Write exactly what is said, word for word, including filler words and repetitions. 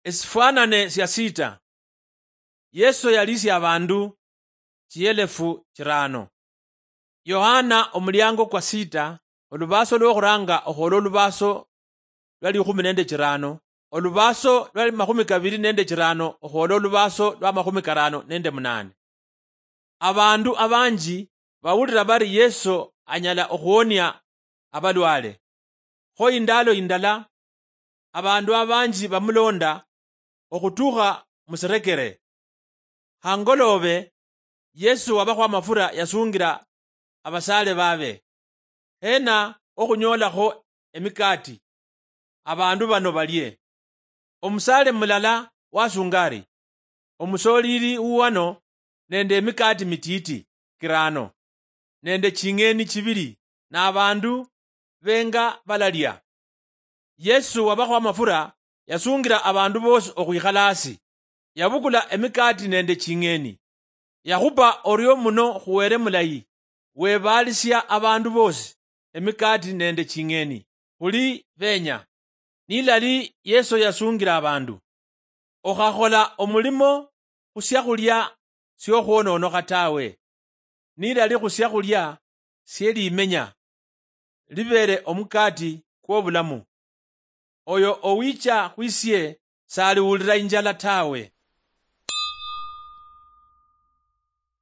Esifwanane sia sita. Yesu yalisia abandu chielefu chirano. Yohana omuliango kwa sita, olubaso lwokhuranga okhwola olubaso lwa likhumi nende chirano, olubaso lwa makhumi kabili nende chirano okhwola olubaso lwa makhumi karano nende munane. Abandu abanji bawulira bari Yesu anyala okhuwonia abalwale. Kho indalo indala, abandu abanji bamulonda okhutukha musirekere. Hangoloobe, Yesu wabakhwa amafura yasungira abasaale babe, "Hena okhunyoolakho emikaati abandu bano balie?" Omusaale mulala wasunga ari, "Omusolili wuwano nende emikaati mitiiti kirano, nende ching'eni chibili, na abandu benga balalia." Yesu wabakhwa amafura yasungira abandu bosi okhwikhala hasi. Yabukula emikaati nende ching'eni, yakhupa orio muno khu Wele mulayi, webaalisia abandu bosi emikaati nende ching'eni, khuli benya. Nilali Yesu yasungira abandu, "Okhakhola omulimo khu siakhulia siokhwononokha tawe, nilali khu siakhulia sie limenya, libere omukati kwobulamu. Oyo owicha khwisie saliwulira injala tawe,